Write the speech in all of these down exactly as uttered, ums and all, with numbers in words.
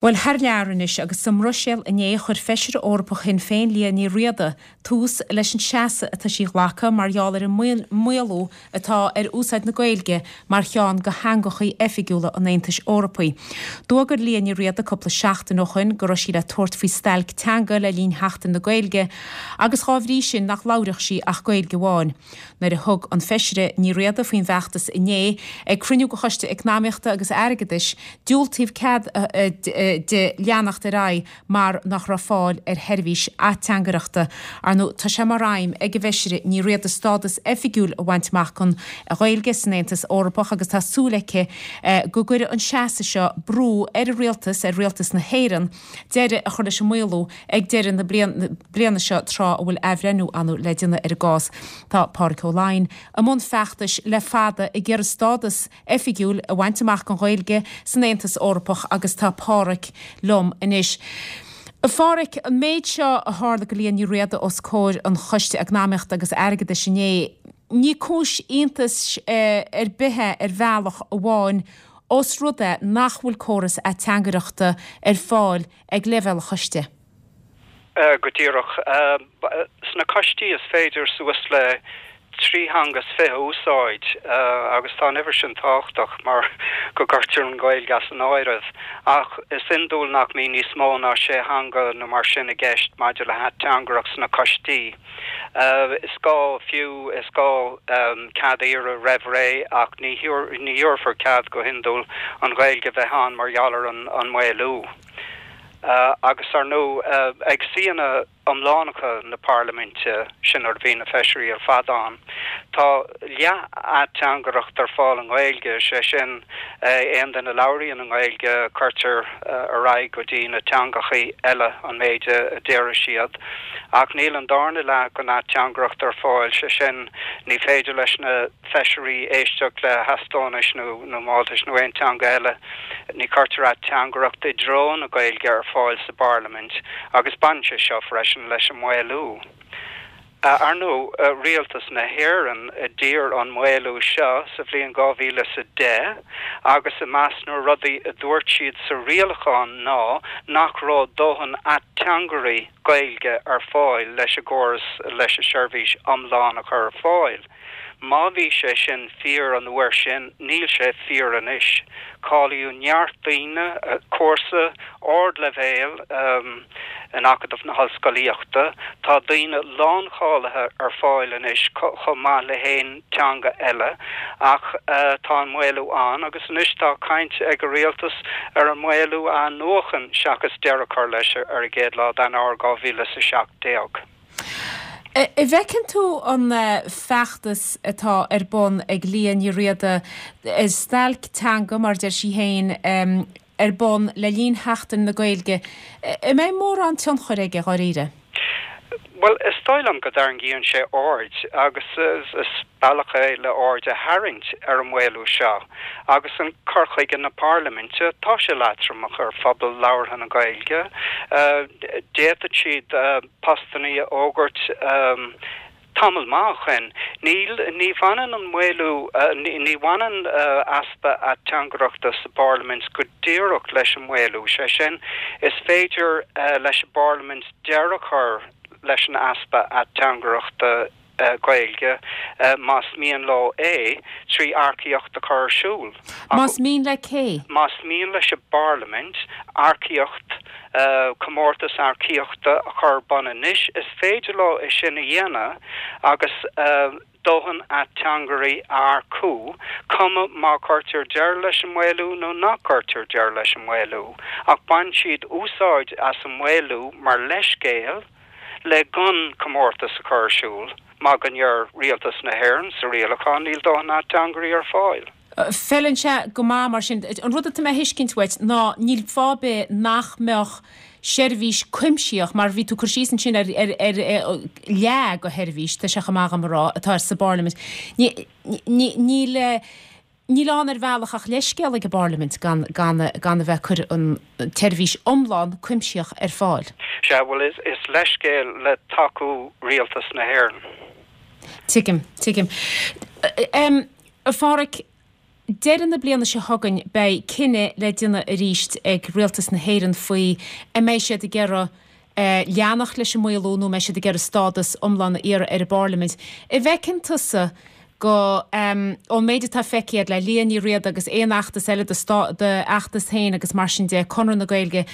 Bhuel, thar lear anois, agus sa mBruiséil inné chuir Feisire Eorpach Shinn Féin Liadh Ní Riada tús leis an seasamh atá sí a ghlacadh mar gheall ar an maolú atá ar úsáid na Gaeilge mar cheann de theangachaí oifigiúla an Aontais Eorpaigh. D'fhógair Liadh Ní Riada cúpla seachtain ó shoin go raibh sí le tabhairt faoi stailc teanga le linn Sheachtain na Gaeilge agus dhá bhrí sin nach labhródh sí ach Gaeilge amháin. Nuair a thug an Feisire Ní Riada faoin bhfeachtas inné ag cruinniú de Choiste Eacnamaíochta agus Airgeadais, diúltaíodh cead di leanacht ar aghaidh mar nach raibh fáil ar sheirbhís ateangaireachta. Ar ndóigh, tá sé mar aidhm ag an bhFeisire Ní Riada stádas oifigiúil a bhaint amach don Ghaeilge san Aontas Eorpach agus tá súil aici go gcuirfidh an seasamh seo brú ar an rialtas, ar rialtas na hÉireann, deireadh a chur leis an maolú ag deireadh na bliana seo tráth a bhfuil athbhreithniú ann le déanamh ar an gcás. Tá Pádraig Ó Laighin i mbun feachtais le fada ag iarraidh stádas oifigiúil a bhaint amach don Ghaeilge san Aontas Eorpach agus tá Páraic liom anois. A Pháraic, an méid seo a tharla do Liadh Ní Riada os comhair an Choiste Eacnamaíochta agus Airgeadais inné, ní cúis iontais ar bith é ar bhealach amháin os rud é nach bhfuil córas ateangaireachta ar fáil ag leibhéal an choiste. Go díreach. Sna coistí is féidir suas le trí theanga is fiche a úsáid agus tá an uimhir sin tábhachtach mar go gcuirtear an Ghaeilge as an áireamh. Ach is iondúil nach mbíonn níos mó ná sé theanga nó mar sin i gceist maidir le hateangaireacht sna coistí. Is gá fiú, is gá cead a iarraidh roimh ré ach ní thabharfar cead go hiondúil an Ghaeilge a bheith ann mar gheall ar an maolú. Agus ar ndóigh ag suíonna iomlánacha na Parlaiminte, sin nuair a bhíonn na feisirí ar fad ann, tá leath-ateangaireacht ar fáil i nGaeilge, sé sin, aon duine a labhraíonn i nGaeilge, cuirtear ar aghaidh go dtí na teangachaí eile an méid a déarfaidh siad. Ach níl an darna leath den ateangaireacht ar fáil, sé sin, ní féidir leis na feisirí éisteacht le hEastóinis nó Máltais nó aon teanga eile. Ní chuirtear ateangaireacht i dtreo na Gaeilge ar fáil sa bParlaimint agus baineann sé seo freisin leis an maolú. Ar ndóigh, Rialtas na hÉireann a d'iarr an maolú seo sa bhliain dhá mhíle is a deich agus i measc na rudaí a dúirt siad sa rialachán ná nach raibh dóthain ateangairí Gaeilge ar fáil leis an gcóras leis an seirbhís iomlán a chur ar fáil. Má bhí sé sin fíor an uair sin, níl sé fíor anois. Cáilíodh neart daoine, cúrsa ardleibhéil in Acadamh na hOllscolaíochta, tá daoine láncháilithe ar fáil anois chomh maith le haon teanga eile ach tá an maolú ann agus anois tá caint ag an rialtas ar an maolú a athnuachan seachas deireadh a chur leis ar an gcéad lá d'Eanáir dhá mhíle is a seacht déag. An bhfeiceann tú an feachtas atá ar bun ag Liadh Ní Riada, stailc teanga mar a deir sí féin, ar bun le linn Sheachtain na Gaeilge, an mbeidh mórán tionchair aige dháiríre? Bhuel, is dóigh liom go dtarraingíonn sé aird agus is bealach é le aird a tharraingt ar an maolú seo agus an cur chuige na Parlaiminte, tá sé leatromach ar phobal labhartha na Gaeilge. D'fhéadfadh siad postannaí a fhógairt tamall maith ó shoin. Níl, ní bhaineann an maolú, ní bhaineann easpa ateangaireachta sa bParlaimint go díreach leis an maolú, sé sin, is féidir leis an bParlaimint deireadh a chur leis an easpa ateangaireachta Gaeilge, más mian leo é, trí earcaíocht a chur ar siúl. Más mian le cé? Más mian leis an bParlaimint earcaíocht, comórtas earcaíochta a chur ar bun anois, is féidir leo é sin a dhéanamh agus dóthain ateangairí a earcú, cuma má chuirtear deireadh leis an maolú nó nach gcuirtear deireadh leis an maolú. Ach baineann siad úsáid as an maolú mar leithscéal le gan comórtas a chur ar siúl mar go ndeir Rialtas na hÉireann sa rialachán níl dóthain ateangairí ar fáil. Feileann sé go maith mar sin. An rud atá mé a thuiscint uait ná níl fáth ar bith nach mbeadh seirbhís cuimsitheach, mar bhí tú ag cur síos ansin ar leath de sheirbhís, tá sé chomh maith agam a rá, atá sa bParlaimint. Níl Níl ann ar bhealach ach leithscéal ag an bParlaimint gan gan gan a bheith ag cur an tseirbhís iomlán cuimsitheach ar fáil. Sea, bhuel, is is leithscéal le tacú Rialtas na hÉireann. Tuigim, tuigim. Em, a Pháraic, Deireadh na bliana seo chugainn beidh cinneadh le déanamh arís ag Rialtas na hÉireann faoi an mbeidh siad ag iarraidh leanacht leis an maolú nó an mbeidh siad ag iarraidh stádas iomlán a iarraidh ar an bParlaimint. An bhfeiceann tusa go, ón méid atá feicthe agat le Liadh Ní Riada agus aon fheachtas eile do d'fheachtas féin agus mar sin de, Conradh na Gaeilge,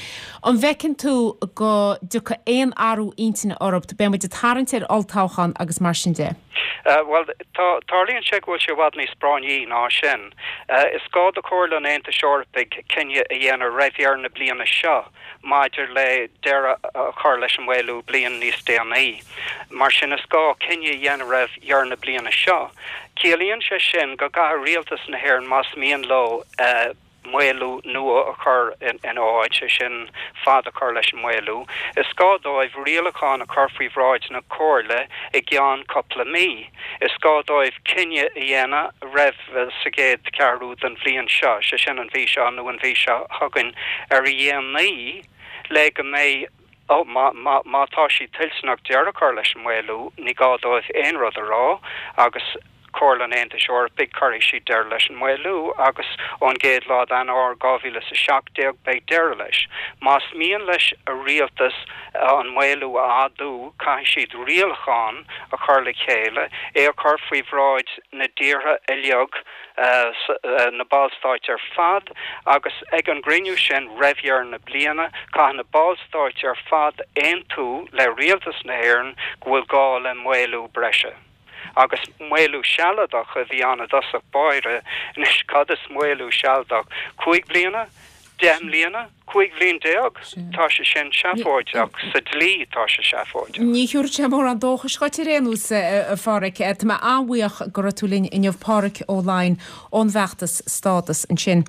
an bhfeiceann tú go dtiocfaidh aon athrú intinne orthu? Beidh muid ag tarraingt ar olltoghchán agus mar sin de. Bhuel, tarlaíonn sé go bhfuil sé i bhfad níos práinní ná sin. Is gá do Chomhairle an Aontais Eorpaigh cinneadh a dhéanamh roimh dheireadh na bliana seo maidir le deireadh a chur leis an maolú bliain níos déanaí. Mar sin, is gá cinneadh a dhéanamh roimh dheireadh na bliana seo. Ciallaíonn sé sin go gcaithfidh Rialtas na hÉireann, más mian leo maolú nua a chur ina áit, sé sin, fad a chur leis an maolú, is gá dóibh rialachán a chur faoi bhráid na Comhairle i gceann cúpla mí. Is gá dóibh cinneadh a dhéanamh roimh sa gcéad cheathrú den bhliain seo, sé sin an mhí seo nó an mhí seo chugainn ar a dhéanaí, le go mbeidh, ó, má, má, má tá siad toilteanach deireadh a chur leis an maolú, ní gá dóibh aon rud a rá agus Comhairle an Aontais Eorpaigh, cuirfidh siad deireadh leis an maolú agus ón gcéad lá d'Eanáir dhá mhíle is a seacht déag beidh deireadh leis. Más mian leis an rialtas an maolú a fhadú, caithfidh siad rialachán a chur le chéile, é a chur faoi bhráid na dtíortha uilig, na Ballstáit ar fad, agus ag an gcruinniú sin roimh dheireadh na bliana, caithfidh na Ballstáit ar fad aontú le Rialtas na hÉireann go bhfuil gá le maolú breise. Agus maolú sealadach a bhí ann i dtosach báire. Anois, cad is maolú sealadach? Cúig bliana? Deich mbliana? Cúig bhliain déag? Tá sé sin seafóideach. Sa dlí, tá sé seafóideach. Ní thabharfaidh sé mórán dóchais dhuit ar aon nós, a Pháraic. Tá mé an-bhuíoch go raibh tú linn inniu, Páraic Ó Laighin ón bhfeachtas Stádas ansin.